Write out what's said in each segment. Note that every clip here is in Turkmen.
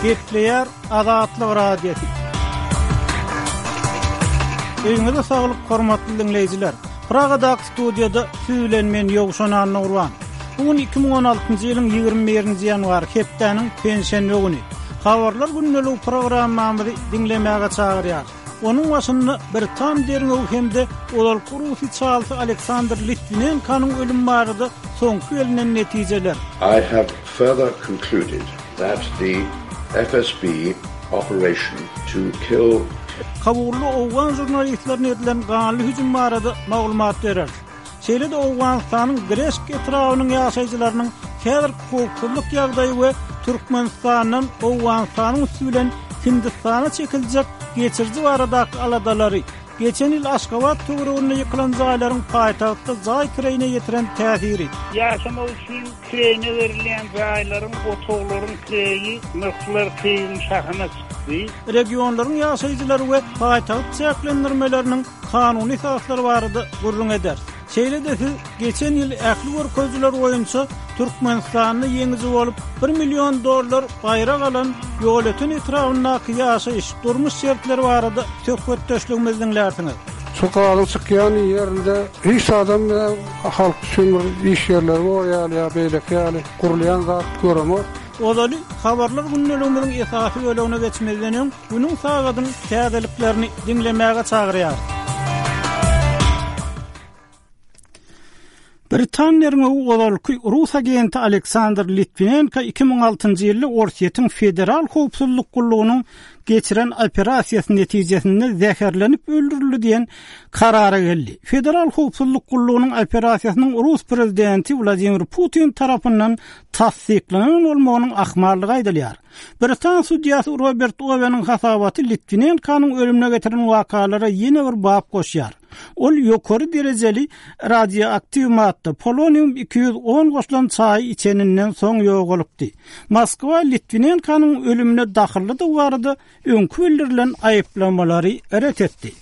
Gepleýär Azatlyk Radiosy. Öýüňize saglyk hormatly diňleýjiler. Pragadaky studiýada siz bilen men Ýowşan Annagurban. Bu gün 2016-njy ýylyň 21-nji ýanwary hepdäniň penşenbe güni. Habarlar gündeligi programmamyzy diňlemäge çagyrýarys. Onuň başynda britan derňewi hem-de ozalky rus içalysy Aleksandr Litwinenkonyň ölümi barada soňky gelnen netijeler. I have further concluded that the FSB operation to kill. Kabulda owgan žurnalistlerine edilen ganly hüjüm barada maglumat bereris. Şeýle-de Owganystanyň Greşk etrabynyň ýaşaýjylarynyň häzirki howpsuzlyk ýagdaýy we Türkmenistandan Owganystanyň üsti bilen Hindistana çekiljek geçiriji baradaky aladalary, geçen ýyl Aşgabat töwereginde ýykylan jaýlaryň paýtagtda jaý kireýine ýetiren täsiri. Ýaşamak üçin kireýine berilýän jaýlaryň, otaglaryň kireýi nyrhlar keýigiň şahyna çykdy. Regionlaryň ýaşaýjylary we paýtagt çäklendirmeleriniň kanuny esaslary barada gürrüň ederis. Şeýle-de siz geçen ýyl ähli görkezijiler boýunça Türkmenistanda ýeňiji bolup, bir million dollar baýrak alan Ýolöten etrabyndaky ýaşaýyş, durmuş şertleri barada söhbetdeşligimizi diňlärsiňiz. Şu gazyň çykýan ýerinde hiç zadam halk üçin bir iş ýerleri bor ýaly ýa beýleki ýaly gurulýan zat göremok. Ozaly Habarlar gündeligimiziň esasy bölegine geçmezden öň, günüň sagadyň täzeliklerini diňlemäge çagyrýarys. Britan derňewi ozalky rus agenti Aleksandr Litwinenko 2006-njy ýylda Orsýetiň Federal howpsuzlyk gullugynyň geçiren operasiýasy netijesinde zäherlenip öldürildi diýen karara geldi. Federal howpsuzlyk gullugynyň operasiýasynyň rus prezidenti Wladimir Putin tarapyndan tassyklanan bolmagynyň ahmallygy aýdylýar. Britan sudýasy Robert Oweniň hasabaty Litwinenkonyň ölümine getiren wakalara ýene bir bap goşýar. Ol ýokary derejeli radioaktiw madda, polonium 210 goşulan çaýy içeninden soň ýogalypdy. Moskwa Litwinenkonyň ölümine dahyllydygy barada öňki bildirilen aýyplamalary ret etdi.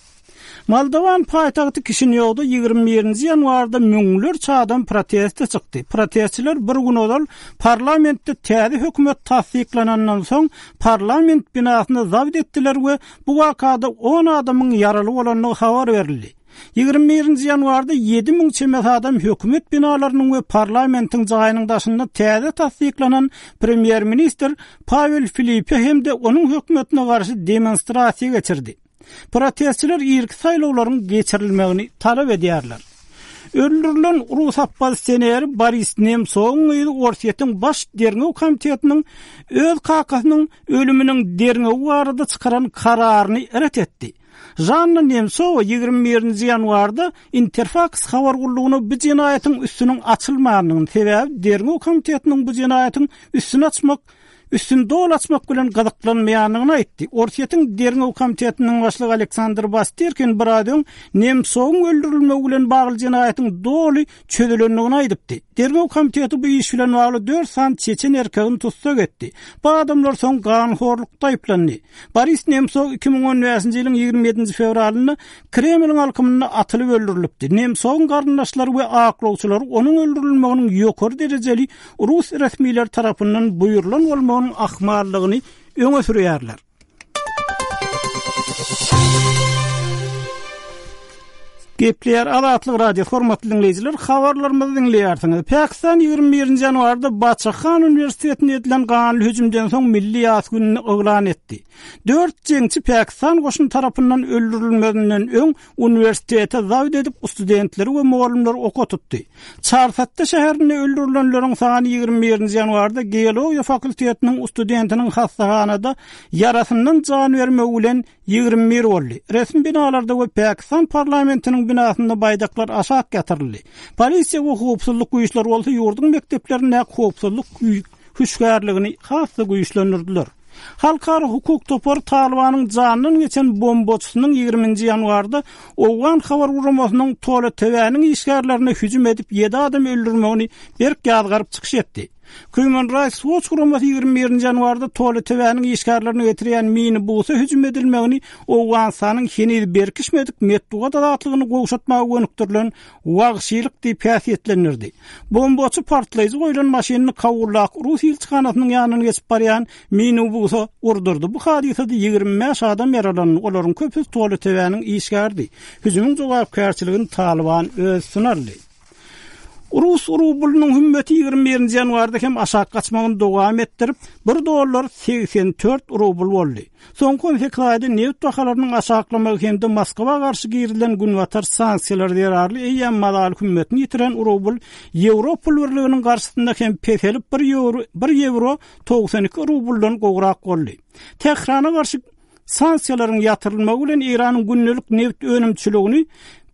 Moldowan paýtagty Kişinýowda 21-nji ýanwarda müňlerçe adam proteste çykdy. Protestçiler bir gün ozal parlamentde täze hökümet tassyklanandan soň parlament binasyny zabt etdiler we bu wakada on adamyň ýaraly bolandygy habar berildi. 21-nji ýanwarda 7000 çemesi adam hökümet binalarynyň we parlamentiň jaýynyň daşynda täze tassyklanan premýer-ministr Pawel Filipe hem-de onuň hökümetine garşy demonstrasiýa geçirdi. Protestçiler irki saýlawlaryň geçirilmegini talap edýärler. Öldürilen rus oppozisioneri Boris Nemtsowyň gyzy Orsýetiň Baş derňew komitetiniň öz kakasynyň ölüminiň derňewi barada çykaran kararyny ret etdi. Žanna Nemtsowa 21-nji ýanwarda Interfaks habar gullugyna bu jenaýatyň üstüniň açylmandygyny, sebäbi derňew komitetiniň bu jenaýatyň üstüni açmak üstüni doly açmak bilen gyzyklanmaýandygyny aýtdy. Orsýetiň Derňew komitetiniň başlygy Aleksandr Bastirkin biraz öň Nemtsowyň öldürilmegi bilen bagly jenaýatyň doly çözülendigini aýdypdy. Derňew komiteti bu iş bilen bagly dört sany çeçen erkegini tussag etdi. Bu adamlar soň ganhorlukda aýyplandy. Boris Nemtsow 2015-nji ýylyň 27-nji fewralynda Kremliň alkymynda atylyp öldürilipdi. Nemtsowyň garyndaşlary we aklawçylary onuň öldürilmeginiň ýokary derejeli rus resmileri tarapyndan buýrulan bolmagynyň ahmallygyny öňe sürýärler. Gepleýär Azatlyk Radiosy hormatly diňleýjiler, habarlarymyzy diňleýärsiňiz. Pakistan 21-nji ýanwarda Baçahan uniwersitetinde edilen ganly hüjümden soň milli ýas gününi yglan etdi. Dört jeňçi Pakistan goşuny tarapyndan öldürilmezinden öň uniwersitete zabt edip, studentleri we mugallymlary oka tutdy. Çarsatda şäherinde öldürilenleriň sany 21-nji ýanwarda geologiýa fakultetiniň studentiniň hassahanada ýarasyndan jan bermegi bilen 21 boldy. Resmi binalarda we Pakistan parlamentiniň binasynda baýdaklar aşak ýatyryldy. Polisiýa we howpsuzlyk güýçleri bolsa ýurduň mekdeplerindäki howpsuzlyk hüşgärligini has-da güýçlendirdiler. Halkara hukuk topary Talybanyň janyndan geçen bombaçysynyň ýigriminji ýanwarda owgan habar guramasynyň Tolo TV-niň işgärlerine hüjüm edip ýedi adam öldürmegini berk ýazgaryp çykyş etdi. Human Rights Watch guramasy 21-nji ýanwarda Toletebäniň işgärlerini getirýän minibusa hüjüm edilmegini Owganystanyň heniz berkişmedik metbugat azatlygyny gowşatmaga gönükdirilen wagşylyk diýip häsiýetlendirdi. Bombaçy partlaýjy goýlan maşynyny Kabuldaky rus ilçihanasynyň ýanyndan geçip barýan minibusa urdurdy. Bu hadysada 25 adam ýaralandy, olaryň köpüsi Toletebäniň işgäridi. Hüjümiň jogapkärçiligini Talyban öz üstüne aldy. Rus rublynyň hümmeti 21-nji ýanwarda hem aşak gaçmagyny dowam etdirip, bir dollar 84 rubl boldy. Soňky 18 aýda nebit bahalarynyň aşaklamagy hem-de Moskwa garşy girizilen günbatar sanksiýalary zerarly eýýäm mazaly hümmetini ýitiren rubl Ýewro pul birliginiň garşysynda hem peselip bir ýewro bir ýewro 92 rubldan gowrak boldy. Tährana garşy Sanksiýalaryň ýatyrylmagy bilen Eýranyň gündelik nebit önümçiligini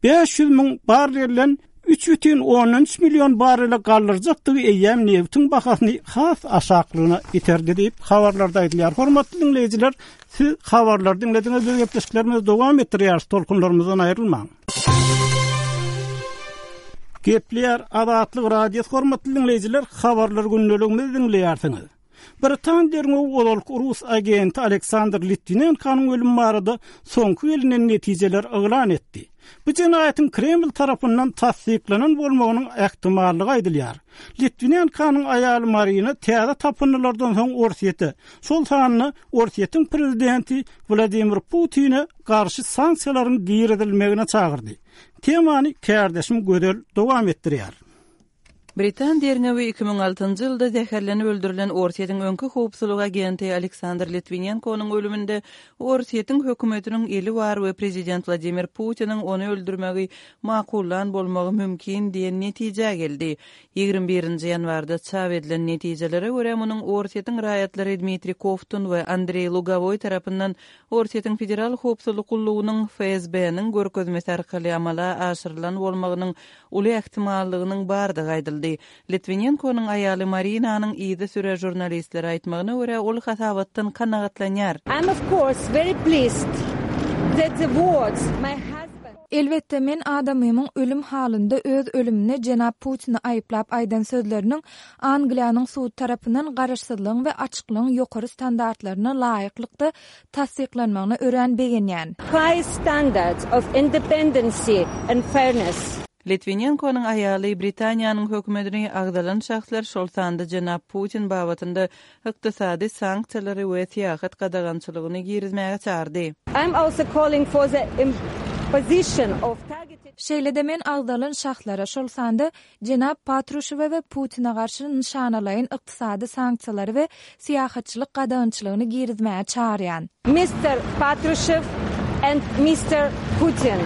500 müň barrelden 3,3 million barrele galdyrjakdygy eýýäm nebitiň bahasyny has aşaklygyna iterdi diýip, habarlarda aýdylýar. Hormatly diňleýjiler, siz habarlary diňlediňiz, biz gepleşiklerimizi dowam etdirýäris, tolkunlarymyzdan aýrylmaň. Gepleýär Azatlyk Radiosy, hormatly diňleýjiler, habarlar gündeligimizi diňleýärsiňiz. Britan derňewi ozalky rus agenti Aleksandr Litwinenkonyň ölümi barada soňky gelnen netijeleri yglan etdi. Bu jenaýatyň Kreml tarapyndan tassyklanan bolmagynyň ähtimallygy aýdylýar. Litwinenkonyň aýaly Marina täze tapyndylardan soň Orsýete, şol sanda Orsýetiň prezidenti Wladimir Putine garşy sanksiýalaryň girizilmegine çagyrdy. Temany kärdeşim Gözel dowam etdirýär. Britan derňewi 2006-njy ýylda zäherlenip öldürilen Orsýetiň öňki howpsuzlyk agenti Aleksandr Litwinenkonyň ölüminde Orsýetiň hökümetiniň eli bar we prezident Wladimir Putiniň ony öldürmegi makullan bolmagy mümkin diýen netijä geldi. Ýigrimi birinji ýanwarda çap edilen netijelere görä, munuň Orsýetiň raýatlary Dmitriý Kovtun we Andreý Lugowoý tarapyndan Orsýetiň Federal howpsuzlyk gullugynyň, FSB-niň, görkezmesi arkaly amala aşyrylan bolmagynyň uly ähtimallygynyň bardygy aýdyldy. Litwinenkonyň aýaly Marinanyň yzysüre žurnalistlere aýtmagyna görä, ol hasabatdan kanagatlanýar. I'm of course very pleased that the words my husband. Elbetde, men adamymyň ölüm halynda öz ölümine jenap Putini aýyplap aýdan sözleriniň Angliýanyň sudy tarapyndan garaşsyzlygyň we açyklygyň ýokary standartlaryna laýyklykda tassyklanmagyna örän begenýän. High standards of independency and fairness. Litwinenkonyň aýaly Britaniýanyň hökümetini agzalan şahslar, şol sanda jenap Putin babatynda ykdysady sanksiýalary we syýahat gadagançylygyny girizmäge çagyrdy. I am also calling for the imposition of targeted. Şeýle-de men agzalan şahslara, şol sanda Jenap Patruşewe we Putine garşy nyşanalaýyn ykdysady sanksiýalary we syýahatçylyk gadagançylygyny girizmäge çagyrýan. Mister Patrushev and Mister Putin.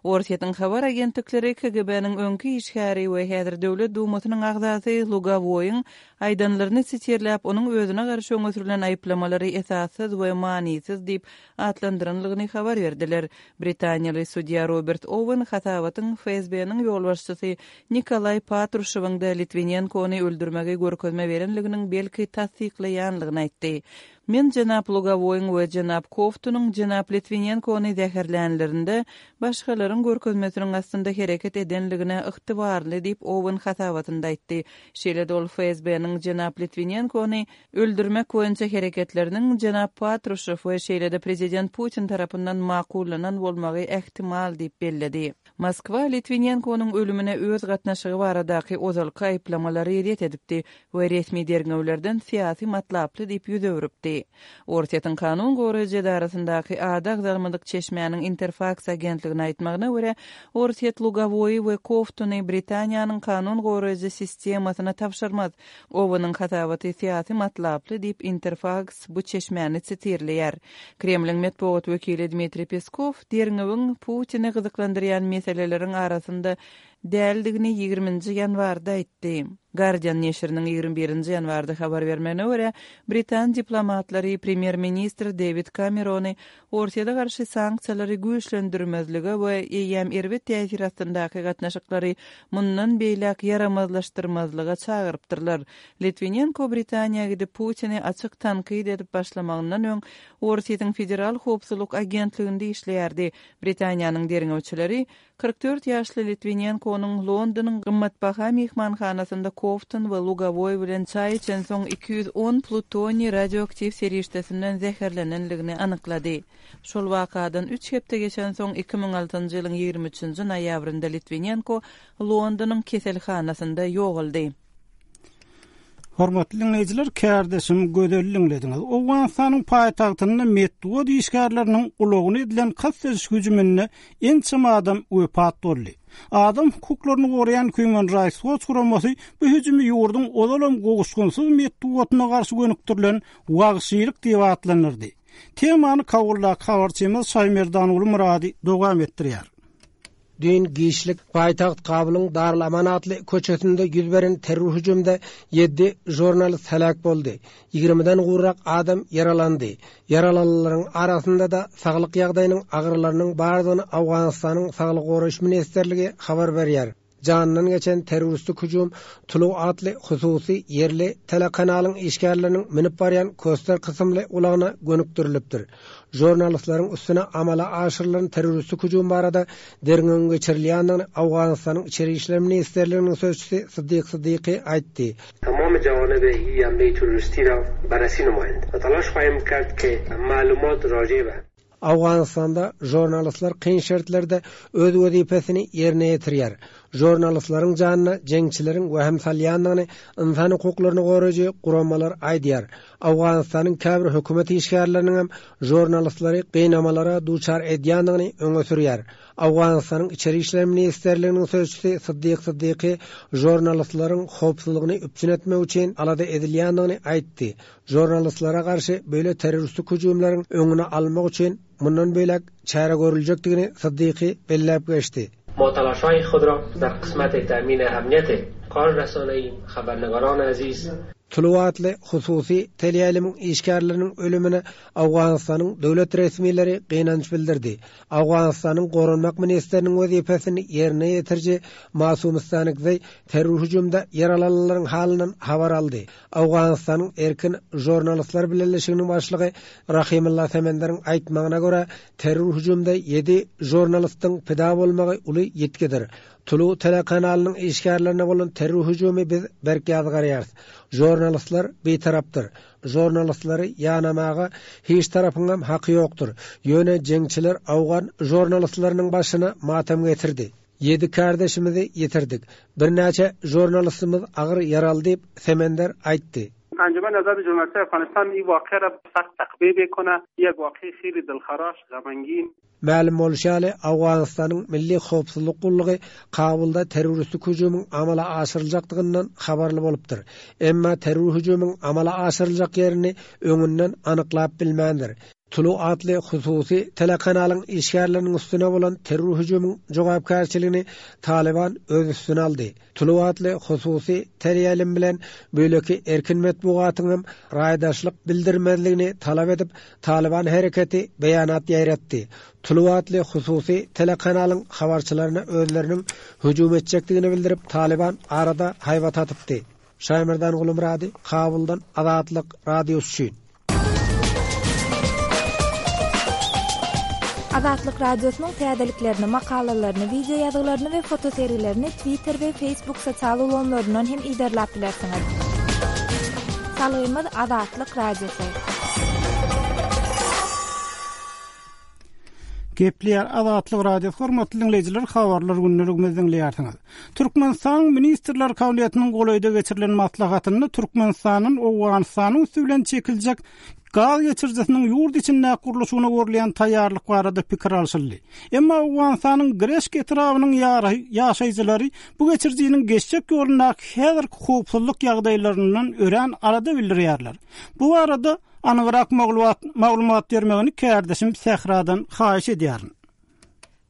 Orsýetiň habar agentlikleri KGB-niň öňki işgäri we häzir Döwlet Dumasynyň agzasy Lugowoýyň aýdanlaryny sitirläp, onuň özüne garşy öňe sürlen aýyplamalary esassyz we manysyz diýip atlandyranlygyny habar berdiler. Britaniýaly sudýa Robert Owen hasabatyň FSB-niň ýolbaşçysy Nikolaý Patruşewiň-de Litwinenkony öldürmegi görkezme berenliginiň belki tassyklaýanlygyny aýtdy. Men jenap Lugowoýyň we jenap Kowtunyň jenap Litwinenkony zäherlänlerinde başgalaryň görkezmesiniň astynda hereket edenligine ygtybarly diýip, Owen hasabatynda aýtdy. Şeýle-de ol FSB-niň jenap Litwinenkony öldürmek boýunça hereketleriniň jenap Patruşew we şeýle-de prezident Putin tarapyndan makullanan bolmagy ähtimal diýip belledi. Moskwa Litwinenkonyň ölümine öz gatnaşygy baradaky ozalky aýyplamalary ret edipdi we resmi derňewlerden syýasy matlaply diýip ýüz öwrüpdi. Orsýetiň kanun goraýjy edarasyndaky ady agzalmadyk çeşmäniň Interfaks agentligine aýtmagyna görä, Orsýet Lugowoýy we Kowtuny Britaniýanyň kanun goraýjy sistemasyna tabşyrmaz. Oweniň hasabaty syýasy matlaply diýip, Interfaks bu çeşmäni sitirleýär. Kremliň metbugat wekili Dmitriý Peskow derňewiň Putini gyzyklandyrýan meseleleriň arasynda däldigini ýigriminji ýanwarda aýtdy. Guardian neşiriniň 21-nji ýanwarda habar bermegine görä, britan diplomatlary premýer-ministr Dewid Kamerony Orsýete garşy sanksiýalary güýçlendirmezlige we eýýäm erbet täsir astyndaky gatnaşyklary mundan beýläk ýaramazlaşdyrmazlyga çagyrypdyrlar. Litwinenko Britaniýa gidip Putini açyk tankyt edip başlamagyndan öň Orsýetiň Federal howpsuzlyk agentliginde işleýärdi. Britaniýanyň derňewçileri 44 ýaşly Litwinenkonyň Londonyň gymmatbaha myhmanhanasynda. Kowtun we Lugowoý bilen çaý içensoň 210 plutoniý radioaktiw serişdesinden zäherlenenligini anyklady. Şol wakadan üç hepde geçensoň, 2006-njy ýylyň 23-nji noýabrynda Litwinenko Londonyň keselhanasynda ýogaldy. Hormatly diňleýjiler, kärdeşim Gözeli diňlediňiz. Owganystanyň paýtagtynda metbugat işgärleriniň ulagyna edilen kast ediş hüjüminde ençeme adam wepat boldy. Adam hukuklaryny goraýan Human Rights Watch guramasy bu hüjümi ýurduň ozalam gowuşgynsyz metbugatyna garşy gönükdirilen wagşylyk diýip atlandyrdy. Temany Kabuldaky habarçymyz Şaýmerdanguly Myrady dowam etdirýär. Düýn giçlik paýtagt Kabulyň Darul-Aman atly köçesinde ýüz beren terror hüjümde ýedi žurnalist heläk boldy, ýigrimiden gowrak adam ýaralandy. Ýaralanlaryň arasynda-da saglyk ýagdaýynyň agyrlarynyň bardygyny Owganystanyň Saglygy goraýyş ministrligi habar berýär. Janyndan geçen terroristik hüjüm Tulu atly hususy ýerli telekanalyň işgärleriniň münüp barýan Koster kysymly ulagyna gönükdirilipdir. Žurnalistleriň üstüne amala aşyrylan terroristik hüjüm barada derňewiň geçirilýändigini Owganystanyň Içeri işler ministrliginiň sözçüsi Siddik Siddiqi aýtdy. تمام جوانب ای حمله تروریستی را بررسی نمایند و تلاش خواهیم کرد که معلومات راجع به. Owganystanda žurnalistler kyn şertlerde öz wezipesini ýerine ýetirýär. Žurnalistleriň janyna jeňçileriň wehim salýandygyny ynsan hukuklaryny goraýjy guramalar aýdýar. Owganystanyň käbir hökümet işgärleriniň hem žurnalistleri gynamalara duçar edýändigini öňe sürýär. Owganystanyň Içeri işler ministrliginiň sözçüsi Siddik Siddiqi žurnalistleriň howpsuzlygyny üpjün etmek üçin alada edilýändigini aýtdy. Žurnalistlere garşy beýle terroristik hüjümleriň öňüni almak üçin mundan beýläk çäre görüljekdigini Siddiqi belläp geçdi. ما تلاشهای خود را در قسمت تامین امنیت کار رسانه‌ای خبرنگاران عزیز. Tulu atly hususy teleýaýlymyň işgärleriniň ölümine Owganystanyň döwlet resmileri gynanç bildirdi. Owganystanyň goranmak ministriniň wezipesini ýerine ýetiriji Masum Stanikzeý terror hüjümde ýaralananlaryň halyndan habar aldy. Owganystanyň Erkin žurnalistler bileleşiginiň başlygy Rahimullah Semenderiň aýtmagyna görä, terror hüjümde ýedi žurnalistiň pida bolmagy uly ýitgidir. Tulu telekanalynyň işgärlerine bolan terror hüjümi biz berk ýazgarýarys. Žurnalistler bitarapdyr. Žurnalistleri ýanamaga hiç tarapyňam haky ýokdur. Ýöne jeňçiler owgan žurnalistleriniň başyna matam getirdi. Ýedi kärdeşimizi ýitirdik. Birnäçe žurnalistimiz agyr ýaraly diýip, Semender aýtdy. انجمن آزاد ژورنالیستهای افغانستان این واقعه را سخت تقبیح میکنه یک واقعه خیلی دلخراش غمانگین. Mälim bolşy ýaly, Owganystanyň Milli howpsuzlyk gullugy Kabulda terroristik hüjümiň amala aşyryljakdygyndan habarly bolupdyr. Emma terror hüjümiň amala aşyryljak ýerini öňünden anyklap bilmändir. Tulu atly hususy telekanalyň işgärleriniň üstüne bolan terror hüjümiň jogapkärçiligini Talyban öz üstüne aldy. Tulu atly hususy teleýaýlym bilen beýleki erkin metbugatyň hem raýdaşlyk bildirmezligini talap edip, Talyban hereketi beýanat ýaýratdy. Tulu atly hususy telekanalyň habarçylaryna özleriniň hüjüm etjekdigini bildirip, Talyban arada haýbat atypdy. Şaýmerdan Gulumyrady, Kabuldan Azatlyk Radiosy üçin. Azatlyk Radiosynyň täzeliklerini, makalalaryny, wideo ýazgylaryny we fotosergilerini Twitter we Facebook sosial ulgamlaryndan hem yzarlap bilersiňiz. Salgymyz Azatlyk Radiosy. Gepleýär Azatlyk Radiosy hormatly diňleýjiler habarlar gündeligimizi diňleýärsiňiz. Türkmenistanyň Ministrler Kabinetiniň golaýda geçirilen maslahatynda Türkmenistandan Owganystanyň üsti bilen çekiljek gaz geçirijisiniň ýurt içindäki gurluşygyna görülýän taýýarlyk barada pikir alşyldy. Emma Owganystanyň Greşk etrabynyň ýaşaýjylary bu geçirijiniň geçjek ýolundaky häzirki howpsuzlyk ýagdaýlaryndan örän alada bildirýärler. Bu barada anygrak maglumat bermegini kärdeşim Sähradan haýyş edýärin.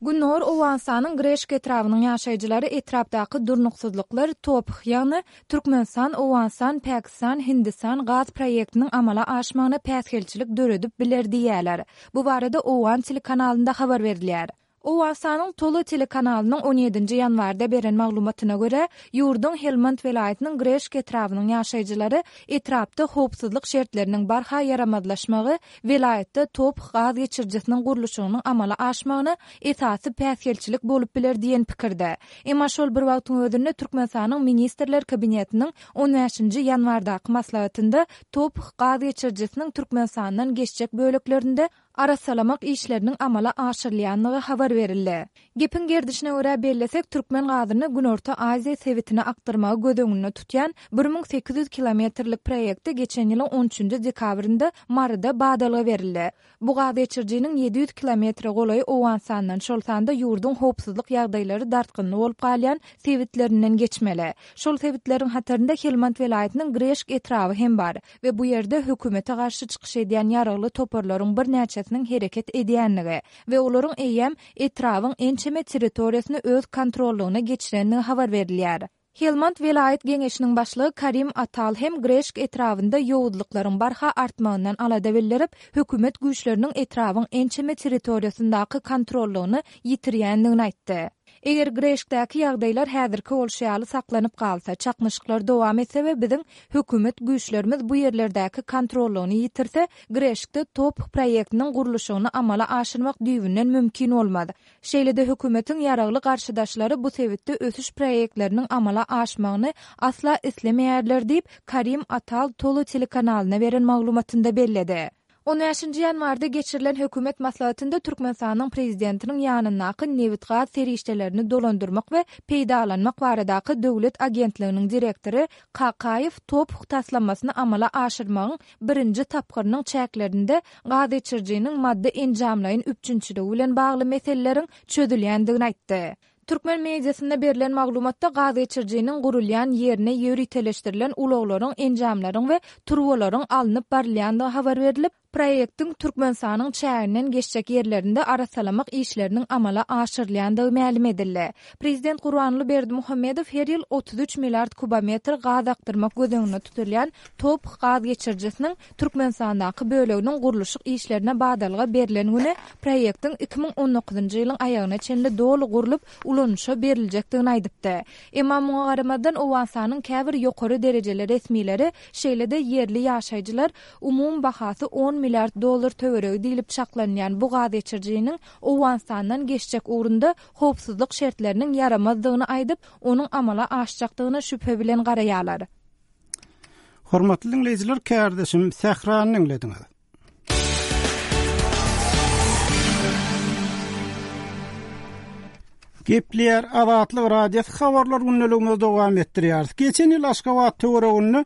Gündogar Owganystanyň Greşk etrabynyň ýaşaýjylary etrapdaky durnuksyzlyklar TOPH, ýagny Türkmenistan, Owganystan, Pakistan, Hindistan gaz proýektiniň amala aşmagyna päsgelçilik döredip biler diýýärler. Bu barada owgan telekanalynda habar berilýär. Owganystanyň Tolo telekanalynyň on ýedinji ýanwarda beren maglumatyna görä, ýurduň Helmand welaýatynyň Greşk etrabynyň ýaşaýjylary etrapda howpsuzlyk şertleriniň barha ýaramazlaşmagy welaýatda TOPH gaz geçirijisiniň gurluşygynyň amala aşmagyna esasy päsgelçilik bolup biler diýen pikirde. Emma şol bir wagtyň özünde Türkmenistanyň Ministrler Kabinetiniň on bäşinji ýanwardaky maslahatynda TOPH gaz geçirijisiniň Türkmenistandan geçjek böleklerinde arassalamak işleriniň amala aşyrylýanlygy habar berildi. Gepiň gerdişine görä bellesek, türkmen gazyny Günorta Aziýa sebitine akdyrmagy göz öňünde tutýan 1800 kilometrlik proýekte geçen ýylyň on üçünji dekabrynda Maryda badalga berildi. Bu gaz geçirijiniň 700 kilometre golaýy Owganystandan, şol sanda ýurduň howpsuzlyk ýagdaýlary dartgynly bolup galýan sebitlerinden geçmeli. Şol sebitleriň hatarynda Helmand welaýatynyň Greşk etraby hem bar. We bu ýerde hökümete garşy çykyş edýän ýaragly toparlaryň birnäçesiniň hereket edýänligi we olaryň eýýäm etrabyň ençeme territoriýasyny öz kontrollygyna geçirenligi habar berilýär. Helmand welaýat geňeşiniň başlygy Karim Atal hem Greşk etrabynda ýowuzlyklaryň barha artmagyndan alada bildirip, hökümet güýçleriniň etrabyň ençeme territoriýasyndaky kontrollygyny ýitirýänligini aýtdy. Eger Greşkdäki ýagdaýlar häzirki bolşy ýaly saklanyp galsa, çaknyşyklar dowam etse we biziň hökümet güýçlerimiz bu ýerlerdäki kontrollygyny ýitirse, Greşkde TOPH proýektiniň gurluşygyny amala aşyrmak düýbünden mümkin bolmaz. Şeýle-de hökümetiň ýaragly garşydaşlary bu sebitde ösüş proýektleriniň amala aşmagyny asla islemeýärler diýip, Karim Atal Tolo telekanalyna beren maglumatynda belledi. On bäşinji ýanwarda geçirilen hökümet maslahatynda Türkmenistanyň Prezidentiniň ýanyndaky Nebitgaz serişdelerini dolandyrmak we peýdalanmak baradaky döwlet agentliginiň direktory Kakaýew TOPH taslamasyny amala aşyrmagyň birinji tapgyrynyň çäklerinde gazgeçirijiniň maddy-enjamlaýyn üpjünçiligi bilen bagly meseleleriň çözülýändigini aýtdy. Türkmen mediasynda berlen maglumatda gazgeçirijiniň gurulýan ýerine ýöriteleşdirilen ulaglaryň, enjamlaryň we turbalaryň alnyp barylýandygy habar berlip, proýektiň Türkmenistanyň çäginden geçjek ýerlerinde arassalamak işleriniň amala aşyrylýandygy mälim edildi. Prezident Gurbanguly Berdimuhamedow her ýyl 33 milliard kubometr gaz akdyrmak göz öňünde tutulýan TOPH gaz geçirijisiniň Türkmenistandaky böleginiň gurluşyk işlerine badalga berlen güni proýektiň 2019-njy ýylyň aýagyna çenli doly gurlup, ulanyşa beriljekdigini aýdypdy. Emma muňa garamazdan, Owganystanyň käbir ýokary derejeli resmileri, şeýle-de ýerli ýaşaýjylar umumy bahasy on milliard dollar töweregi diýlip çaklanylýan bu gazgeçirijiniň Owganystandan geçjek ugrunda howpsuzlyk şertleriniň ýaramazdygyny aýdyp, onuň amala aşjakdygyna şübhe bilen garaýarlar. Hormatly diňleýjiler, kärdeşim Sährany diňlediňiz. Gepleýär Azatlyk Radiosy habarlar gündeligimizi dowam etdirýäris. Geçen ýyl Aşgabat töwereginde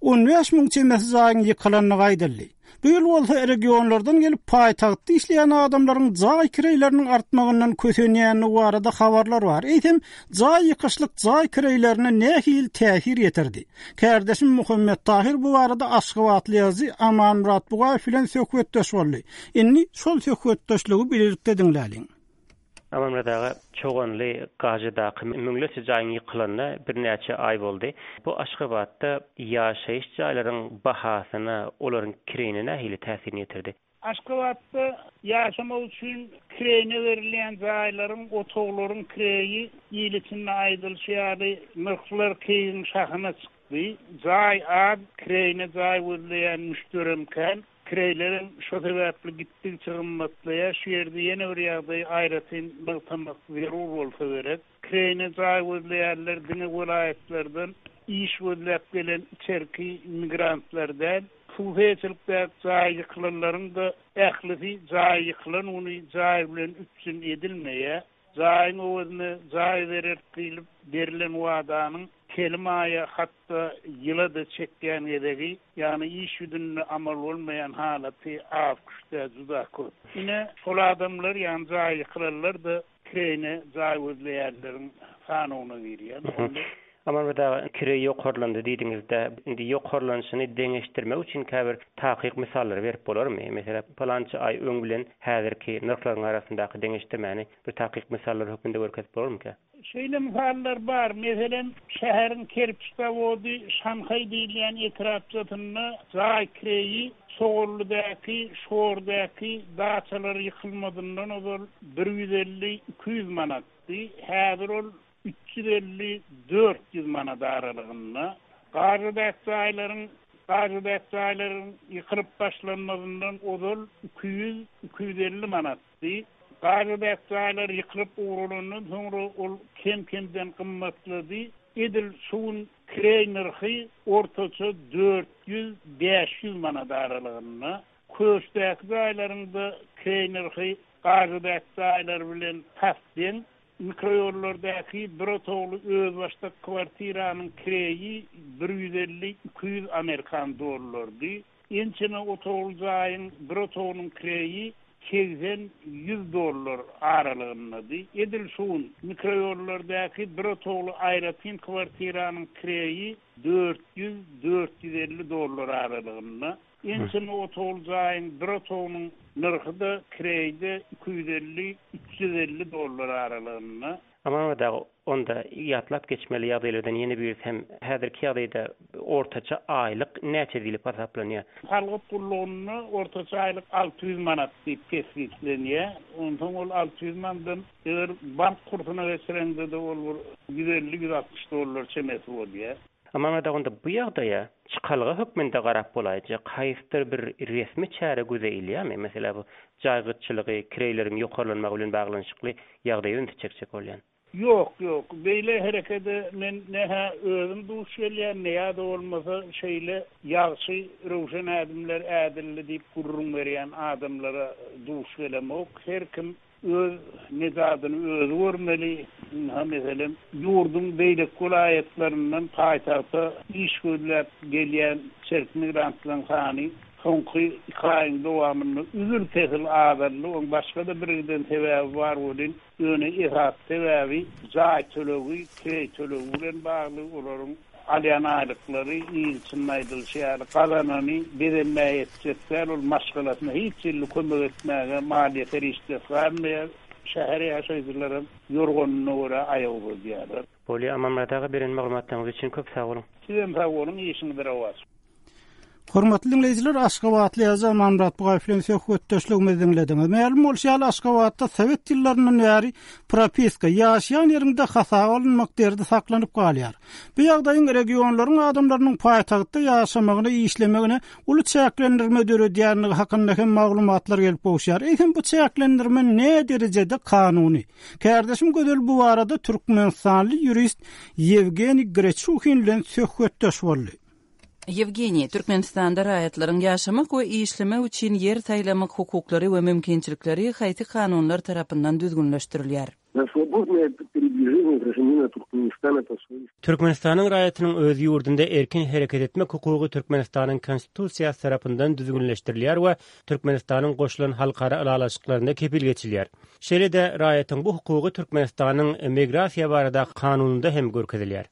15 müň çemesi jaýyň ýykylandygy aýdyldy. Bu ýyl bolsa regionlardan gelip paýtagtda işleýän adamlaryň jaý kireýleriniň artmagyndan kösenýändigi barada habarlar bar. Eýsem, jaý ýykyşlyk jaý kireýlerine nähili täsir ýetirdi? Kärdeşim Muhammet Tahyr bu barada aşgabatly ýazyjy Amanmyrat Bugaýew bilen söhbetdeş boldy. Indi şol söhbetdeşligi bilelikde diňläliň. Amanmyrat aga, Çoganly Gajydaky müňlerçe jaýyň ýykylanyna birnäçe aý boldy. Bu Aşgabatda ýaşaýyş jaýlaryň bahasyna, olaryň kireýine nähili täsirini ýetirdi? Aşgabatda ýaşamak üçin kireýine berilýän jaýlaryň, otaglaryň kireýi il içinde aýdylyşy ýaly, nyrhlar keýigiň şahyna çykdy. Jaý az, kireýine jaý gözleýän müşderem kän. Kireýlerem şo sebäpli gitdigiçe gymmatlaýar. Şu ýerde ýene bir ýagdaýy aýratyn nygtamak zerur bolsa gerek. Kireýine jaý gözleýänler diňe welaýatlardan iş gözläp gelen içerki migrantlar däl. Hususyýetçilikdäki jaýy ýykylanlaryň-da ählisi jaýy ýykylan güni jaý bilen üpjün edilmeýär. Jaýyň öwezine jaý bereris diýlip berlen wadanyň telim aýa, hatda ýyla-da çekýän gezegi, ýagny iş ýüzünde amal bolmaýan halaty az-küş däl, juda köp. Ine, şol adamlar, ýagny jaýy ýykylanlar-da kireýine jaý gözleýänleriň sanawyna girýär. Onda. Amanmyrat aga, kireý ýokarlandy diýdiňiz-de, indi ýokarlanyşyny deňeşdirmek üçin käbir takyk mysallary berip bolarmy? Meselem, pylança aý öň bilen häzirki nyrhlaryň arasyndaky deňeşdirmäni bir takyk mysallar hökmünde görkezip bolarmyka? Şeýle mysallar bar, meselem, şäheriň kerpiç zawody Şanhaý diýilýän etrapçasynda jaý kireýi Çoganlydaky, Şordaky daçalar ýykylmazyndan ozal bir 150, 200 manatdy, häzir ol 350, 400 manat aralygynda. Gažadaky jaýlaryň Gažadaky jaýlaryň ýykylyp başlanmazyndan ozal 200, 250 manatdy. Gažadaky jaýlar ýykylyp ugralandan soňra ol kem-kemden gymmatlady. Edil şu gün kireý nyrhy ortaça 400, 500 manat aralygynda. Köşdäki jaýlaryň-da kireý nyrhy Gažadaky jaýlar bilen tas deň. Mikroýollardaky bir otagly özbaşdak kwartiranyň kireýi bir 150, 200 amerikan dollardy. Ençeme otagly jaýyň bir otagynyň kireýi 80, 100 dollar aralygyndady. Edil şu gün mikroýollardaky bir otagly aýratyn kwartiranyň kireýi 400, 450 dollar aralygynda. Ençeme otagly jaýyň bir otagynyň nyrhy-da, kireýi-de 250, 350 dollar aralygynda. Amanmyrat aga, onda ýatlap geçmeli ýagdaýlardan ýene birisi hem häzirki ýagdaýda ortaça aýlyk näçe diýlip hasaplanýar? Salgyt gullugynda ortaça aýlyk 600 manat diýip kesgitlenýär. Onsoň ol 600 mandan eger bank kursuna geçireňde-de ol bir 150-160 dollar çemesi bolýar. Amanmyrat aga, onda bu ýagdaýa çykalga hökmünde garap bolaýjak haýsydyr bir resmi çäre göze ilýärmi? Meselä bu jaý gytçylygy, kireýleriň ýokarlanmagy bilen baglanyşykly ýagdaýa ünsi çekjek bolýan. Ýok, ýok. Beýle herekede men ne-hä özüm duş gelýän, ne ýa-da bolmasa şeýle ýagşy, röwşen ädimler ädildi diýip gürrüň berýän adamlara duş gelemok. Her kim Öz nejadyny özi görmeli. Ynha, meselem, ýurduň beýleki welaýatlaryndan paýtagta iş gözläp gelýän içerki migrantlaryň sany soňky iki aýyň dowamynda üzül-kesil azaldy. Onuň başga-da birgiden sebäbi bar welin, ýöne esasy sebäbi jaý tölegi, kireý tölegi bilen bagly. Olaryň Alýan aýlyklary il içinde aýdylyşy ýaly gazanany bezenmä ýetjek däl, ol maşgalasyna hiç hili kömek etmäge maliýe serişdesi galmaýar. Şäher ýaşaýjylaram ýorganyna görä aýak uzadýarlar. Bolýa Amanmyrat aga beren maglumatlaryňyz üçin köp sag boluň. Sizem sag boluň işiňiz rowaç. Hormatly diňleýjiler, Aşgabatly ýazyjy Amanmyrat Bugaýew bilen söhbetdeşligimizi diňlediňiz. Mälim bolşy ýaly, Aşgabatda sowet ýyllaryndan bäri propiska, ýaşaýan ýeriňde hasaba alynmak derdi saklanyp galýar. Bu ýagdaýyň regionlaryň adamlarynyň paýtagtda ýaşamagyna, işlemegine uly çäklendirme döredýändigi hakynda hem maglumatlar gelip gowuşýar. Eýsem, bu çäklendirme näderejede kanuny? Kärdeşim Gözel bu barada türkmenistanly ýurist Ýewgeniý Greçuhin bilen söhbetdeş boldy. Ýewgeniý, Türkmenistanda raýatlaryň ýaşamak we işlemek üçin ýer saýlamak hukuklary we mümkinçilikleri haýsy kanunlar tarapyndan düzgünleşdirilýär? Türkmenistanyň raýatynyň öz ýurdunda erkin hereket etmek hukugy Türkmenistanyň Konstitusiýasy tarapyndan düzgünleşdirilýär we Türkmenistanyň goşulan halkara ylalaşyklarynda kepil geçilýär. Şeýle-de, raýatyň bu hukugy Türkmenistanyň Migrasiýa baradaky kanunynda hem görkezilýär.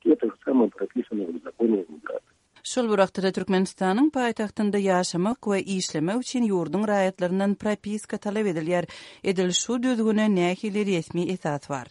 Şol bir wagtda-da Türkmenistanyň paýtagtynda ýaşamak we işlemek üçin ýurduň raýatlaryndan propiska talap edilýär. Edil şu düzgüne nähili resmi esas bar?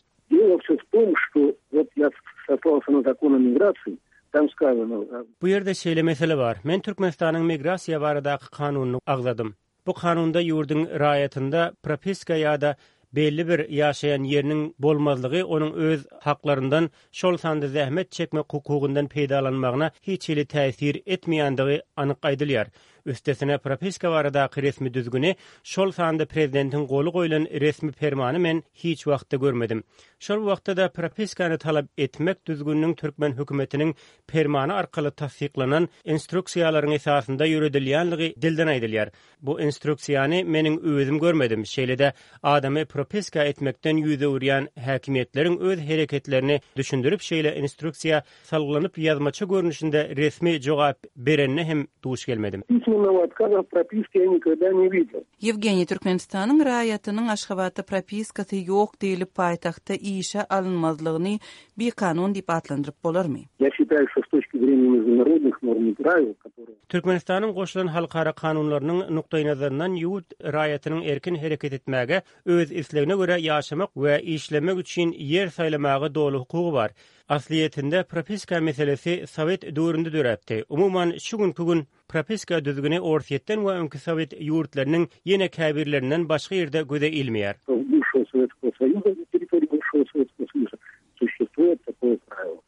Bu ýerde şeýle mesele bar. Men Türkmenistanyň Migrasiýa baradaky kanunyny agzadym. Bu kanunda ýurduň raýatynda propiska ýa-da belli bir ýaşaýan ýeriniň bolmazlygy onuň öz haklaryndan, şol sanda zähmet çekmek hukugyndan peýdalanmagyna hiç hili täsir etmeýändigi anyk aýdylýar. Üstesine, propiska baradaky resmi düzgüni, şol sanda prezidentiň goly goýlan resmi permany men hiç wagtda görmedim. Şol bir wagtda-da propiskany talap etmek düzgüniniň türkmen hökümetiniň permany arkaly tassyklanan instruksiýalaryň esasynda ýöredilýänligi dilden aýdylýar. Bu instruksiýany meniň özüm görmedim, şeýle-de adamy propiska etmekden ýüz öwürýän häkimiýetleriň öz hereketlerini düşündirip şeýle instruksiýa salgylanyp ýazmaça görnüşinde resmi jogap berenine hem duş gelmedim. Письменного отказа в propiske я никогда не видел. Ýewgeniý, Türkmenistanyň raýatynyň Aşgabatda propiskasy ýok diýlip paýtagtda işe alynmazlygyny bikanun diýip atlandyryp bolarmy? Я считаю, что с точки зрения международных норм и правил, которые. Türkmenistanyň goşulan halkara kanunlarynyň nukdaýnazaryndan ýurt raýatynyň erkin hereket etmäge, öz islegine görä ýaşamak we işlemek üçin ýer saýlamaga doly hukugy bar. Aslyýetinde propiska meselesi sowet döwründe döräpdi. Umuman, şu günki gün propiska düzgüni Orsýetden we öňki sowet ýurtlarynyň ýene käbirlerinden başga ýerde göze ilmeýär.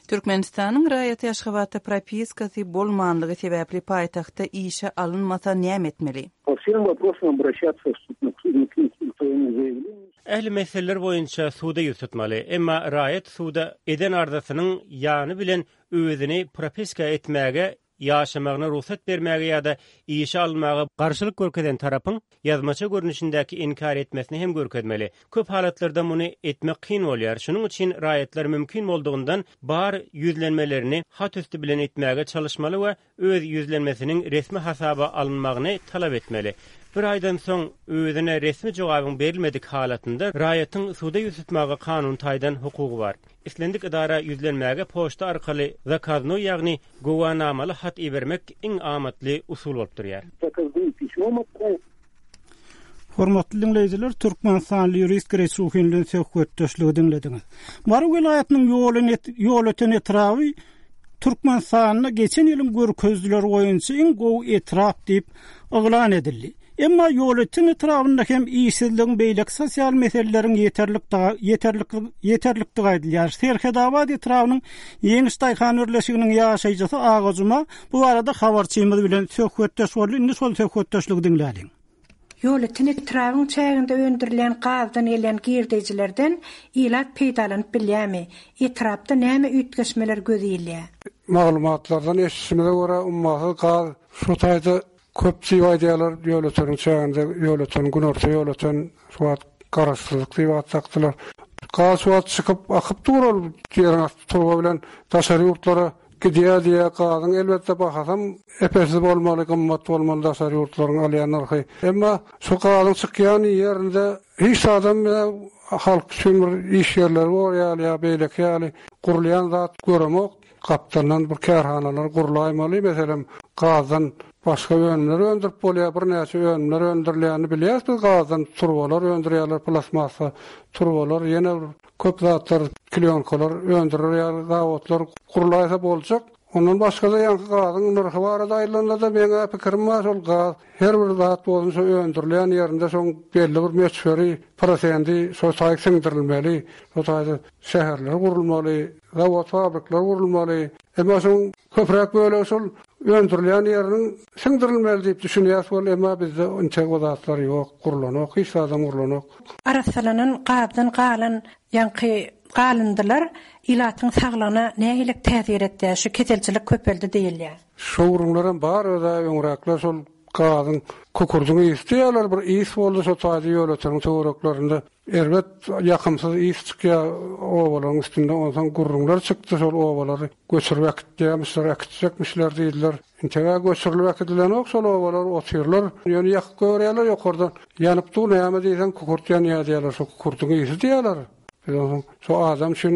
Türkmenistanyň raýaty Aşgabatda propiskasy bolmanlygy sebäpli paýtagtda işe alynmasa näme etmeli? Ähli meseleler boýunça suda ýüz tutmaly. Emma raýat suda eden arzasynyň ýany bilen özüni propiska etmäge, ýaşamagyna rugsat bermäge ýa-da işe alynmaga garşylyk görkezen tarapyň ýazmaça görnüşindäki inkär etmesini hem görkezmeli. Köp halatlarda muny etmek kyn bolýar. Şunuň üçin raýatlar mümkin boldugyndan bar ýüzlenmelerini hat üsti bilen etmäge çalyşmaly we öz ýüzlenmesiniň resmi hasaba alynmagyny talap etmeli. Bir aýdan soň özüne resmi jogabyň berilmedik halatynda raýatyň suda ýüz tutmaga kanun taýdan hukugy bar. Islendik edara ýüzlenmäge poçta arkaly zakaznoý ýagny güwänamaly hat ibermek iň amatly usul bolup durýar. Zakaznoý pismom otprawiť. Hormatly diňleýjiler, türkmenistanly ýurist Greçuhin bilen söhbetdeşligi diňlediňiz. Mary welaýatynyň Ýolöten etraby Türkmenistanda geçen ýylyň görkezijileri boýunça iň gowy etrap diýip yglan edildi. Emma Ýolöten etrabynda hem işsizligiň beýleki sosial meseleleriň ýeterlikdigi aýdylýar. Serhetabat etrabynyň Ýeňiş daýhan birleşiginiň ýaşaýjysy Aga Juma bu barada habarçymyz bilen söhbetdeş boldy. Indi şol söhbetdeşligi diňläliň. Ýolöten etrabyň çäginde öndürilýän gazdan gelýän girdeýjilerden ilat peýdalanyp bilýärmi? Etrapda näme üýtgeşmeler göz ilýär? Maglumatlardan eşidişimize görä, ummasyz gaz şu taýda köp diýip aýdýarlar, Ýolöteniň çäginde, Ýolöten, Günorta Ýolöten şu wagt Garaşsyzlyk diýip at dakdylar. Gaz şu wagt çykyp, akyp dur ol ýeriň asty turba bilen daşary ýurtlara Gidýär diýýär, gazyň elbetde bahasam epesiz bolmaly, gymmat bolmaly daşary ýurtlaryň alýan nyrhy. Emma şu gazyň çykýan ýerinde hiç zadam halk üçin bir iş ýerleri bor ýaly ýa beýleki ýaly gurulýan zat göremok. Gapdaldan bir kärhanalar gurlaýmaly, meselem, gazdan başga önümler öndürip bolýar, birnäçe önümler öndürilýänini bilýäris biz gazdan turbalar öndürýärler, plastmassa turbalar, ýene bir Köp zatlar, klýonkalar öndürer ýaly zawodlar gurlaýsa boljak. Ondan başga-da ýaňky gazyň nyrhy barada aýdylanda-da meň-ä pikirim bar, şol gaz her bir zat bolsun şo öndürilýän ýerinde şoň belli bir möçberi, prosendi şo taýy siňdirilmeli. Şo taýda şäherler gurulmaly, zawod-fabrikler gurulmaly. Emma şoň köpräk bölegi şol öndürilýän ýeriniň siňdirilmeli diýip düşünýäs weli, emma bizde intek o zatlar ýok, gurlanok, hiç zadam gurlanok. Arassalanan gazdan galan ýaňky galyndylar ilatyň saglygyna nähili täsir etýär, şu keselçilik köpeldi diýilýär. Şo gürrüňlerem bar öz-ä öňräkler şol gazyň kükürdiň ysy diýýärler bir ys boldy şo taýda Ýolöteniň töwereklerinde erbet ýakymsyz ys çykýar obalaryň üstünde onsoň gürrüňler çykdy şol obalary göçürip äkitýärmişler äkitjekmişler diýdiler. Integä göçürilip äkidilenok şol obalar otyrlar ýöne ýakyp goýberýärler ýokardan ýanyp dur näme diýseň kükürt ýanýar diýýärler şo kükürdiň ysy diýýärler biz onsoň şo adam üçin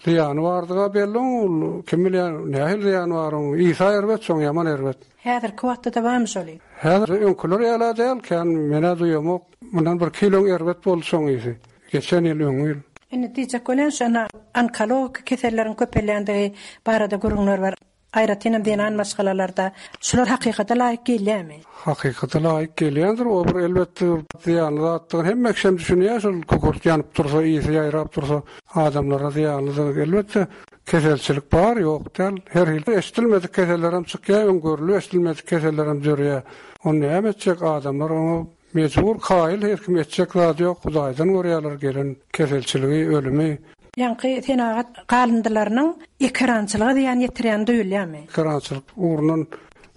zyýany bardyga belli oň ol kim bilýär nähili zyýany bar oň ysy erbet şoň ýaman erbet. Häzirki wagtda-da barmy şol ys? Häzir öňküler ýala däl kän menä duýamok mundan birki ýyl öň erbet boldy şoň ysy geçen ýyl öňňi ýyl. Indi diýjek bolýan şo ine onkologiki keselleriň köpelýändigi barada gürrüňler bar. Aýratynam zenan maşgalalarda. Şular hakykata laýyk gelýärmi? Hakykata laýyk gelýändir. O bir elbetde zyýanly zatdygyny hemme kişem düşünýär. Şol kükürt ýanyp dursa, ysy ýaýrap dursa adamlara zyýanlydygy. Elbetde keselçilik bar, ýok däl. Her hili eşidilmedik kesellerem çykýar, öň görlüp eşidilmedik kesellerem dörýär. Ony näme etjek adamlar oňa Mejbur kaýyl her kim etjek zady ýok hudaýdan görýäler gelen keselçiligi ölümi. Ýaňky senagat galyndylarynyň ekerançylyga zyýan ýetirýäni duýulýarmy? Ekerançylyk ugrundan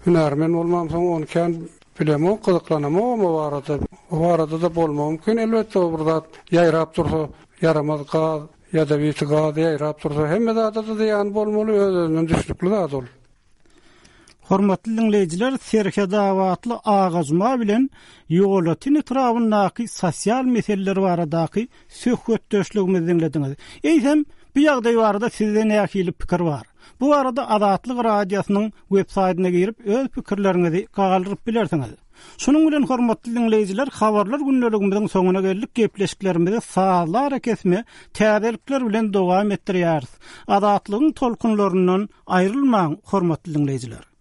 hünärmen bolmamsoň ony kän bilemok gyzyklanamogam o barada. O barada-da bolmagy mümkin elbetde o bir zat ýaýrap dursa ýaramaz gaz ýadawiti gaz ýaýrap dursa hemme zada-da zyýany bolmaly öz-özünden düşnükli zat ol. Hormatly diňleýjiler, Serhetabatly Agajuma bilen Ýolöten etrabyndaky sosial meseleler baradaky söhbetdeşligimizi diňlediňiz. Eýsem, bu ýagdaý barada sizde nähili pikir bar? Bu barada Azatlyk Radiosynyň web saýtyna girip öz pikirleriňizi galdyryp bilersiňiz. Şunuň bilen hormatly diňleýjiler habarlar gündeligimiziň soňuna geldik gepleşiklerimizi sazly arakesme täzelikler bilen dowam etdirýäris. Azatlygyň tolkunlaryndan aýrylmaň hormatly diňleýjiler.